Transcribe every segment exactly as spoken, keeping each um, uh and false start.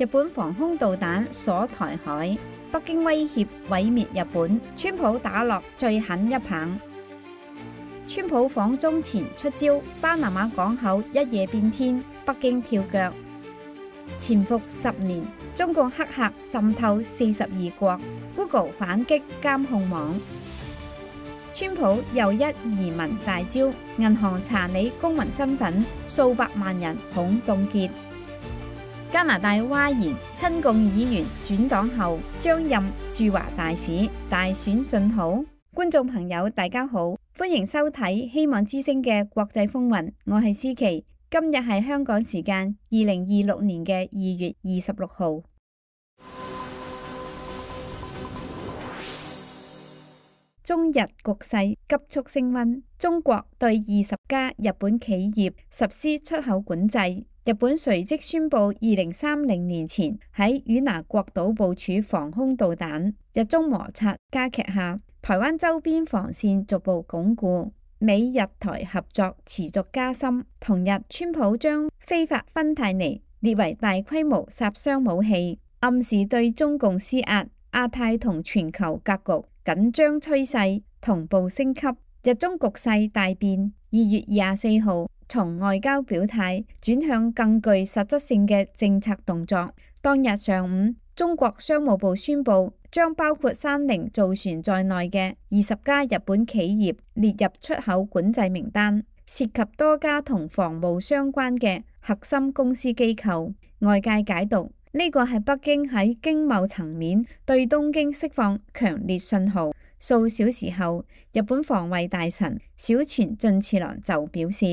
日本防空導彈鎖台海，北京威脅毀滅日本，川普打落最狠一棒。川普訪中前出招，巴拿馬港口一夜變天，北京跳腳。潛伏十年，中共黑客滲透四十二國 ，Google 反擊監控網。川普又一移民大招，銀行查你公民身份，數百萬人恐凍結。加拿大嘩然，親共議員轉黨後將任駐華大使，大選信號。觀眾朋友大家好，歡迎收睇希望之聲嘅國際風雲，我係思琪。今日係香港時間二零二六年嘅二月二十六號。中日局勢急速升溫，中國對二十家日本企業實施出口管制。日本隨即宣布二零三零年前喺與那國島部署防空導彈。日中摩擦加劇下，台灣周邊防線逐步鞏固，美日台合作持續加深。同日，川普將非法芬太尼列為大規模殺傷武器，暗示對中共施壓。亞太同全球格局緊張趨勢同步升級，日中局勢大變。二月廿四號，從外交表態轉向更具實質性嘅政策動作。當日上午，中國商務部宣布將包括三菱造船在內嘅二十家日本企業列入出口管制名單，涉及多家同防務相關嘅核心公司機構。外界解讀呢個係北京喺經貿層面對東京釋放強烈信號。數小時後，日本防衛大臣小泉進次郎就表示，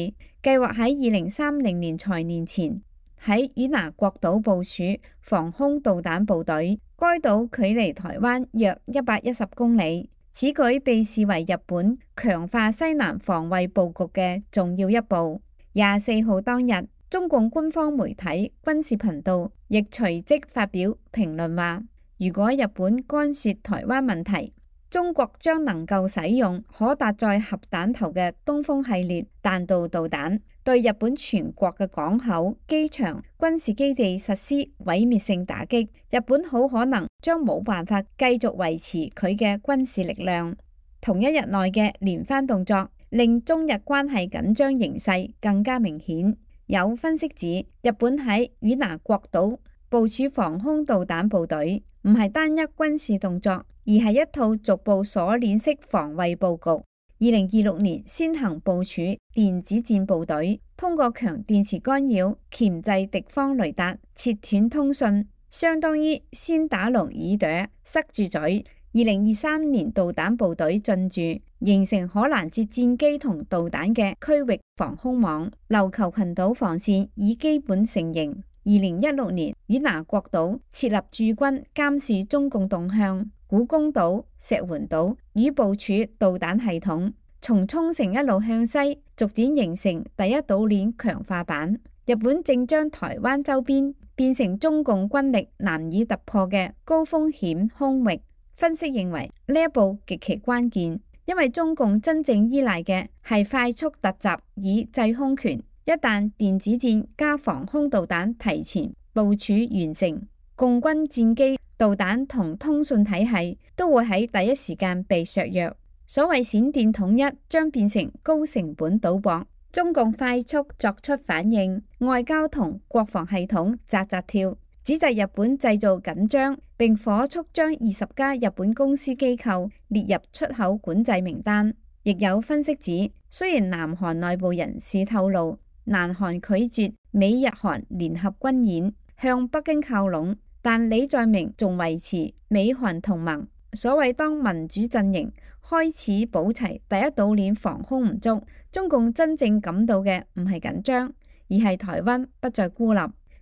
計劃喺二零三零年財年前喺與那國島部署防空導彈部隊。該島距離台灣約一百一十公里，此舉被視為日本強化西南防衛佈局嘅重要一步。廿四號當日，中共官方媒體軍事頻道亦隨即發表評論話，如果日本干涉台灣問題，中國將能夠使用可搭載核彈頭嘅東風系列彈道導彈，對日本全國嘅港口、機場、軍事基地實施毀滅性打擊。日本好可能將冇辦法繼續維持佢嘅軍事力量。同一日內嘅連番動作，令中日關係緊張形勢更加明顯。有分析指，日本喺與那國島部署防空導彈部隊，唔係單一軍事動作，而係一套逐步鎖鏈式防衛佈局。二零二六年先行部署電子戰部隊，通過強電磁干擾鉗制敵方雷達，切斷通訊，相當於先打聾耳朵，塞住嘴。二零二三年導彈部隊進駐，形成可攔截戰機同導彈嘅區域防空網，琉球群島防線已基本成形。二零一六年，與那國島設立駐軍監視中共動向，古公島、石垣島已部署導彈系統，從沖繩一路向西，逐漸形成第一島鏈強化版。日本正將台灣周邊變成中共軍力難以突破嘅高風險空域。分析認為呢一步極其關鍵，因為中共真正依賴嘅係快速突襲以制空權。一旦電子戰加防空導彈提前部署完成，共軍戰機、導彈同通訊體系都會喺第一時間被削弱。所謂閃電統一將變成高成本賭博。中共快速作出反應，外交同國防系統扎扎跳，指責日本製造緊張，並火速將二十家日本公司機構列入出口管制名單。亦有分析指，雖然南韓內部人士透露，南韓拒絕美日韓聯合軍演，向北京靠攏，但李在明仲維持美韓同盟。所謂當民主陣營開始補齊第一島鏈防空唔足，中共真正感到嘅唔係緊張，而係台灣不再孤立。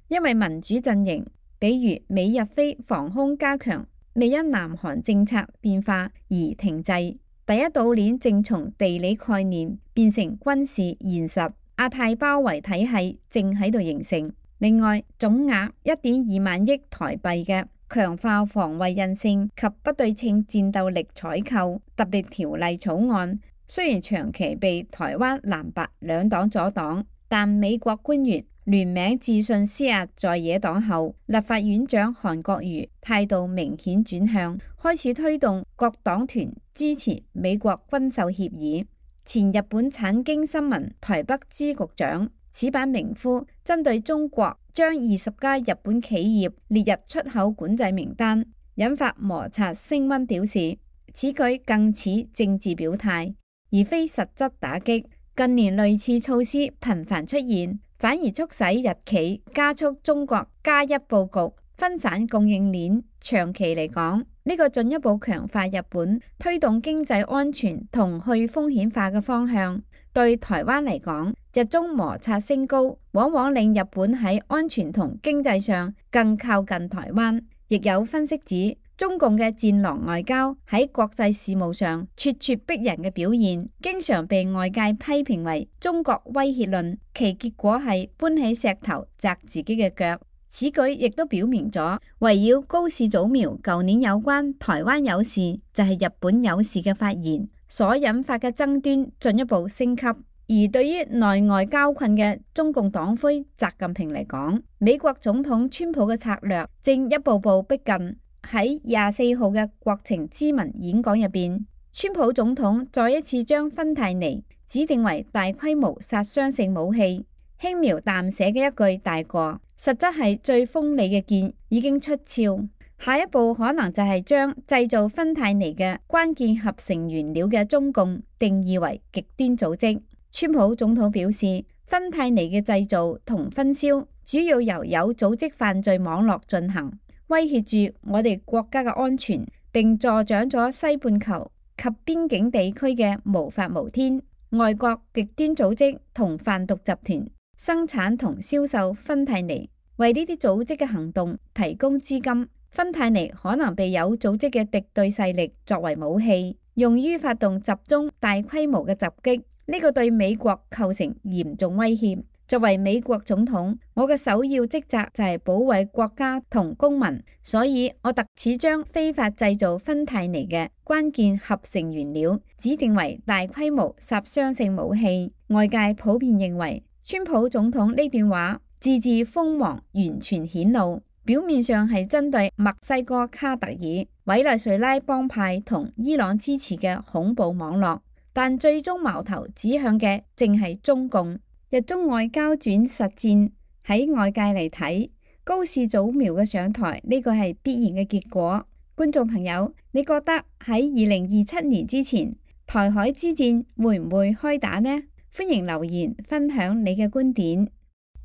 因為民主陣營，比如美日菲防空加強，未因南韓政策變化而停滯。第一島鏈正從地理概念變成軍事現實，亞太包圍體系正喺度形成。另外，總額一點二萬億台幣嘅強化防衛韌性及不對稱戰鬥力採購特別條例草案，雖然長期被台灣藍白兩黨阻擋，但美國官員聯名致信施壓在野黨後，立法院長韓國瑜態度明顯轉向，開始推動各黨團支持美國軍售協議。前日本產經新聞台北支局長矢板明夫針對中國將二十家日本企業列入出口管制名單，引發摩擦升溫，表示此舉更似政治表態，而非實質打擊。近年類似措施頻繁出現，反而促使日企加速中國加一佈局，分散供應鏈。長期嚟講，呢個進一步強化日本推動經濟安全同去風險化嘅方向。對台灣嚟講，日中摩擦升高，往往令日本喺安全同經濟上更靠近台灣。亦有分析指，中共嘅戰狼外交喺國際事務上咄咄逼人嘅表現，經常被外界批評為中國威脅論，其結果係搬起石頭砸自己嘅腳。此舉亦都表明咗，圍繞高市早苗舊年有關台灣有事就係日本有事嘅發言所引發嘅爭端進一步升級。而對於內外交困嘅中共黨魁習近平嚟講，美國總統川普嘅策略正一步步逼近。喺廿四號嘅國情咨文演講入邊，川普總統再一次將芬太尼指定為大規模殺傷性武器，輕描淡寫嘅一句大過，實質係最鋒利嘅劍已經出鞘。下一步可能就係將製造芬太尼嘅關鍵合成原料嘅中共定義為極端組織。川普總統表示，芬太尼嘅製造同分銷主要由有組織犯罪網絡進行，威脅住我哋國家嘅安全，並助長咗西半球及邊境地區嘅無法無天。外國極端組織同販毒集團生產同銷售芬太尼，為呢啲組織嘅行動提供資金。芬太尼可能被有組織嘅敵對勢力作為武器，用於發動集中大規模嘅襲擊。呢個對美國構成嚴重威脅。作為美國總統，我嘅首要職責就係保衛國家同公民，所以我特此將非法製造芬太尼嘅關鍵合成原料指定為大規模殺傷性武器。外界普遍認為，川普總統呢段話字字鋒芒完全顯露，表面上係針對墨西哥卡特爾、委內瑞拉幫派同伊朗支持嘅恐怖網絡。但最終矛頭指向嘅正係中共。日中外交轉實戰，喺外界嚟睇，高市早苗嘅上台呢個係必然嘅結果。觀眾朋友，你覺得喺二零二七年之前，台海之戰會唔會開打呢？歡迎留言分享你嘅觀點。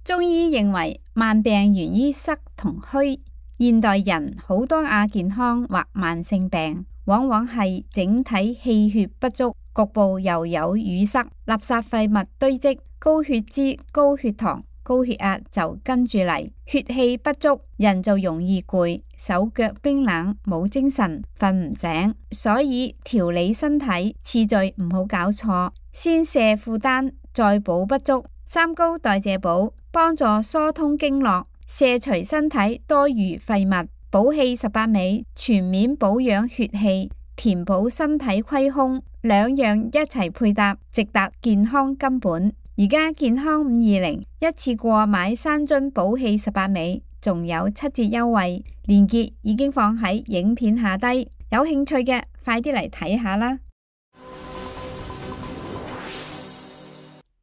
中醫認為慢病源於濕同虛，現代人好多亞健康或慢性病，往往係整體氣血不足，局部又有淤塞，垃圾廢物堆積，高血脂、高血糖、高血壓就跟住嚟，血氣不足，人就容易攰，手腳冰冷，冇精神，瞓唔醒。所以調理身體次序唔好搞錯，先卸負擔，再補不足。三高代謝補幫助疏通經絡，卸除身體多餘廢物。補氣十八味全面保養血氣，填補身體虧空，兩樣一齊配搭，直達健康根本。而家健康五二零一次過買三樽補氣十八味，仲有七折優惠，鏈接已經放喺影片下低，有興趣嘅快啲嚟睇下啦。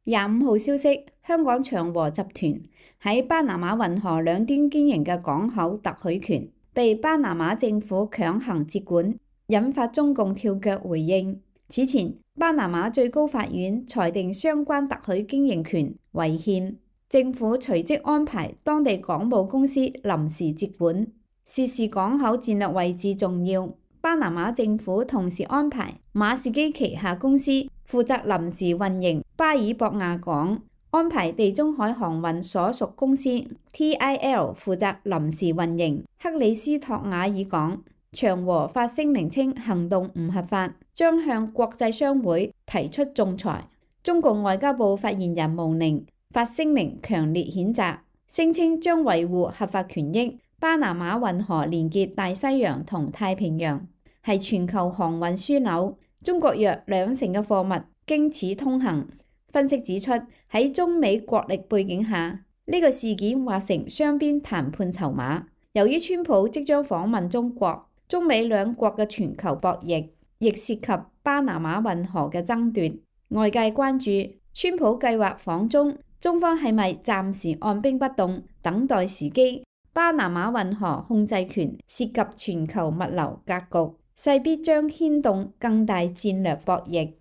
廿五號消息，香港長和集團喺巴拿馬運河兩端經營嘅港口特許權被巴拿馬政府強行接管，引發中共跳腳回應。此前，巴拿馬最高法院裁定相關特許經營權違憲，政府隨即安排當地港務公司臨時接管。涉事港口戰略位置重要，巴拿馬政府同時安排馬士基旗下公司負責臨時運營巴爾博亞港，安排地中海航運所屬公司 T I L 負責臨時運營克里斯托瓦爾港。長和發聲明稱行動唔合法，將向國際商會提出仲裁。中共外交部發言人毛寧發聲明強烈譴責，聲稱將維護合法權益。巴拿馬運河連結大西洋同太平洋，係全球航運樞紐，中國約兩成嘅貨物經此通行。分析指出，喺中美國力背景下，呢個事件或成雙邊談判籌碼。由於川普即將訪問中國，中美兩國嘅全球博弈亦涉及巴拿馬運河嘅爭奪。外界關注川普計劃訪中，中方係咪暫時按兵不動，等待時機？巴拿馬運河控制權涉及全球物流格局，勢必將牽動更大戰略博弈。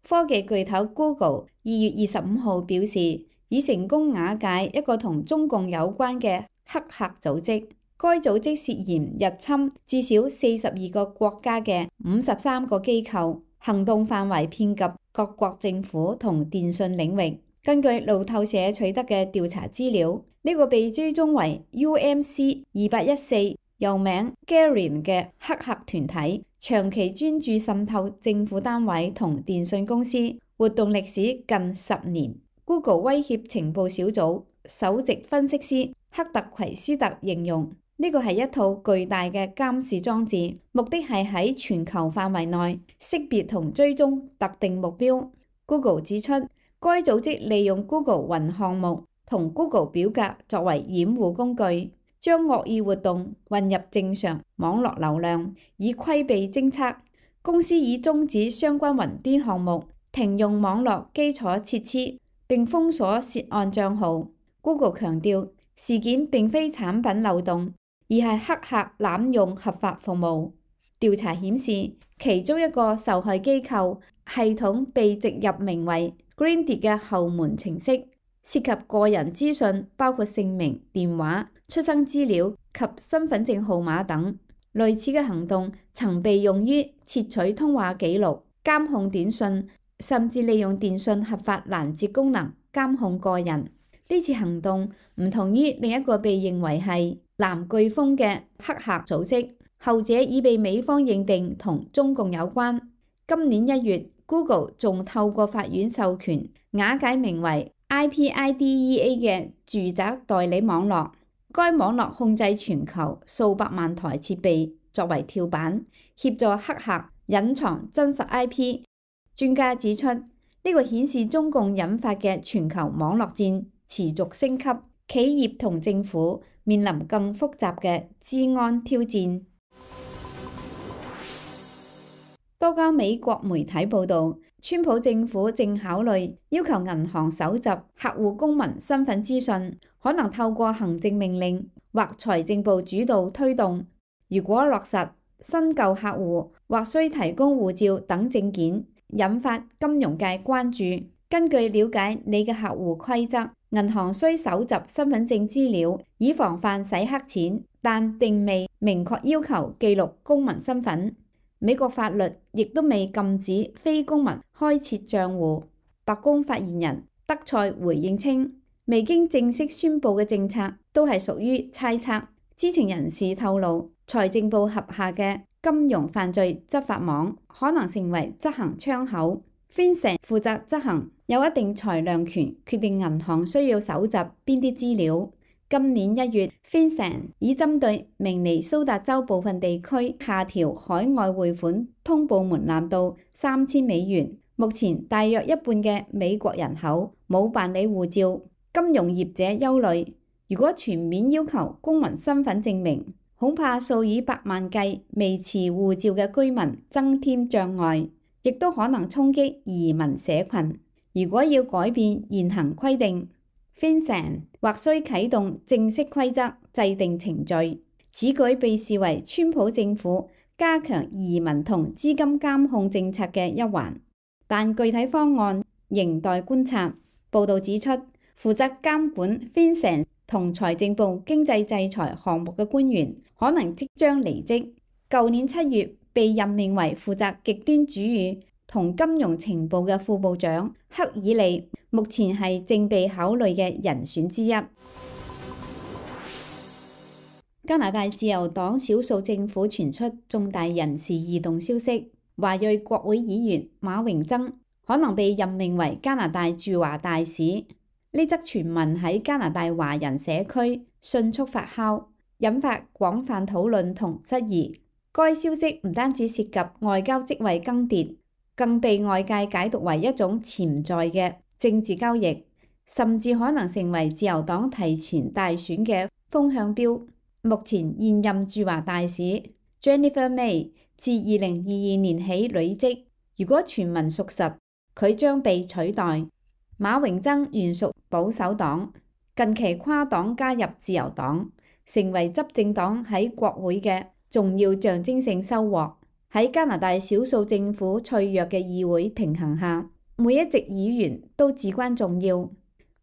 科技巨頭 Google 二月二十五號表示，已成功瓦解一個同中共有關嘅黑客組織。該組織涉嫌入侵至少四十二個國家嘅五十三個機構，行動範圍遍及各國政府同電信領域。根據路透社取得嘅調查資料，呢、這個被追蹤為 U M C 二八一四，又名 Gallium 嘅黑客團體，長期專注滲透政府單位同電信公司，活動歷史近十年。Google 威脅情報小組首席分析師克特奎斯特形容呢個係一套巨大嘅監視裝置，目的係喺全球範圍內識別同追蹤特定目標。Google 指出，該組織利用 Google 雲項目同 Google 表格作為掩護工具，將惡意活動混入正常網絡流量，以規避偵測。公司已終止相關雲端項目，停用網絡基礎設施，並封鎖涉案帳號。Google 強調，事件並非產品漏洞，而係黑客濫用合法服務。調查顯示，其中一個受害機構系統被植入名為 Greendy 嘅後門程式，涉及個人資訊，包括姓名、電話、出生資料及身份證號碼等。類似嘅行動曾被用於竊取通話記錄、監控短信，甚至利用電信合法攔截功能監控個人。呢次行動唔同於另一個被認為係藍颶風嘅黑客組織，後者已被美方認定同中共有關。今年一月 ，Google 仲透過法院授權瓦解名為 I P I D E A 嘅住宅代理網絡。該網絡控制全球數百萬台設備作為跳板，協助黑客隱藏真實 I P。專家指出，呢、這個顯示中共引發嘅全球網絡戰持續升級，企業同政府面臨更複雜嘅資安挑戰。多家美國媒體報導，川普政府正考慮要求銀行搜集客戶公民身份資訊，可能透過行政命令或財政部主導推動。如果落實，新舊客戶或需提供護照等證件，引發金融界關注。根據了解你嘅客戶規則，銀行需搜集身份證資料，以防範洗黑錢，但並未明確要求記錄公民身份。美國法律亦都未禁止非公民開設賬戶。白宮發言人德賽回應稱，未經正式宣佈嘅政策都係屬於猜測。知情人士透露，財政部轄下嘅金融犯罪執法網可能成為執行窗口。FinCEN 負責執行，有一定裁量權，決定銀行需要搜集邊啲資料。今年一月 FinCEN 已針對明尼蘇達州部分地區下調海外匯款通報門檻到三千美元。目前大約一半嘅美國人口冇辦理護照，金融業者憂慮，如果全面要求公民身份證明，恐怕數以百萬計未持護照嘅居民增添障礙，亦都可能衝擊移民社群。如果要改變現行規定，FinCEN 或需啟動正式規則制定程序。此舉被視為川普政府加強移民同資金監控政策嘅一環，但具體方案仍待觀察。報導指出，負責監管 FinCEN 同財政部經濟制裁項目嘅官員可能即將離職。舊年七月被任命為負責極端主義同金融情報嘅副部長克爾利，目前係正被考慮嘅人選之一。加拿大自由黨少數政府傳出重大人事異動消息，華裔國會議員馬榮曾可能被任命為加拿大駐華大使。呢則傳聞喺加拿大華人社區迅速發酵，引發廣泛討論同質疑。該消息唔單止涉及外交職位更迭，更被外界解讀為一種潛在嘅政治交易，甚至可能成為自由黨提前大選嘅風向標。目前現任駐華大使 Jennifer May 自二零二二年起履職，如果傳聞屬實，佢將被取代。馬榮曾原屬保守黨，近期跨黨加入自由黨，成為執政黨喺國會嘅重要象徵性收穫。喺加拿大少數政府脆弱嘅議會平衡下，每一席議員都至關重要。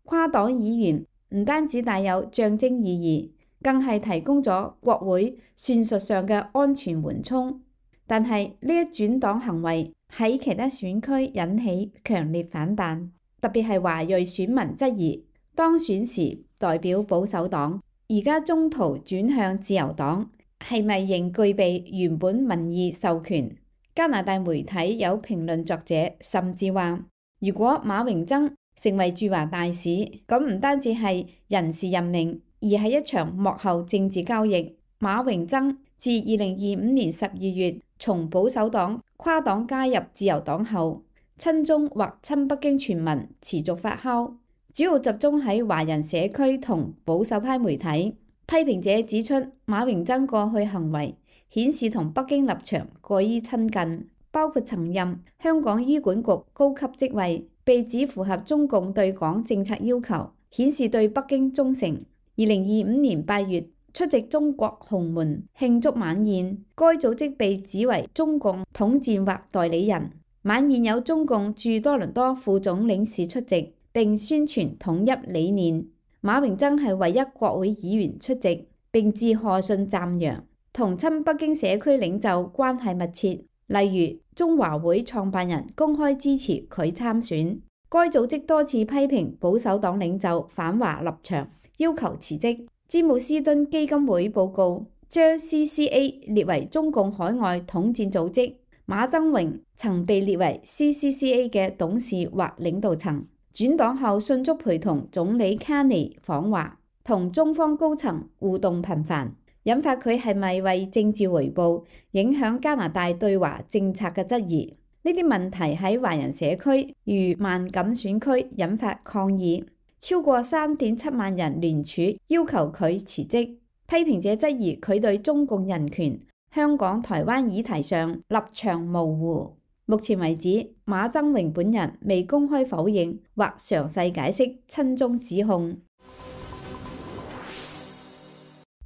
跨黨議員唔單止帶有象徵意義，更係提供咗國會算術上嘅安全緩衝。但係呢一轉黨行為喺其他選區引起強烈反彈，特別係華裔選民質疑當選時代表保守黨，而家中途轉向自由黨，係咪仍具備原本民意授權？加拿大媒體有評論作者甚至話，如果馬榮曾成為駐華大使，咁唔單止係人事任命，而係一場幕後政治交易。馬榮曾自二零二五年十二月從保守黨跨黨加入自由黨後，親中或親北京傳聞持續發酵，主要集中喺華人社區同保守派媒體。批評者指出，馬榮曾過去行為顯示同北京立場過於親近，包括曾任香港醫管局高級職位，被指符合中共對港政策要求，顯示對北京忠誠。二零二五年八月出席中國鴻門慶祝晚宴，該組織被指為中共統戰或代理人。晚宴有中共駐多倫多副總領事出席，並宣傳統一理念。馬榮曾係唯一國會議員出席，並致賀信讚揚，同親北京社區領袖關係密切。例如中華會創辦人公開支持佢參選。該組織多次批評保守黨領袖反華立場，要求辭職。詹姆斯敦基金會報告將 C C A 列為中共海外統戰組織。馬曾榮曾被列為 C C C A 嘅董事或領導層，轉黨後迅速陪同總理卡尼訪華，同中方高層互動頻繁，引發佢係咪為政治回報影響加拿大對華政策嘅質疑。呢啲問題喺華人社區如萬錦選區引發抗議，超過三點七萬人聯署要求佢辭職。批評者質疑佢對中共人權、香港、台灣議題上立場模糊。目前為止，馬曾榮本人未公開否認或詳細解釋親中指控。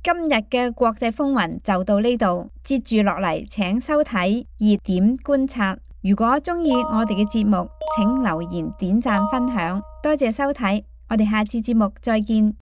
今日嘅國際風雲就到呢度，接住落嚟請收睇熱點觀察。如果鍾意我哋嘅節目，請留言、點讚、分享，多謝收睇，我哋下次節目再見。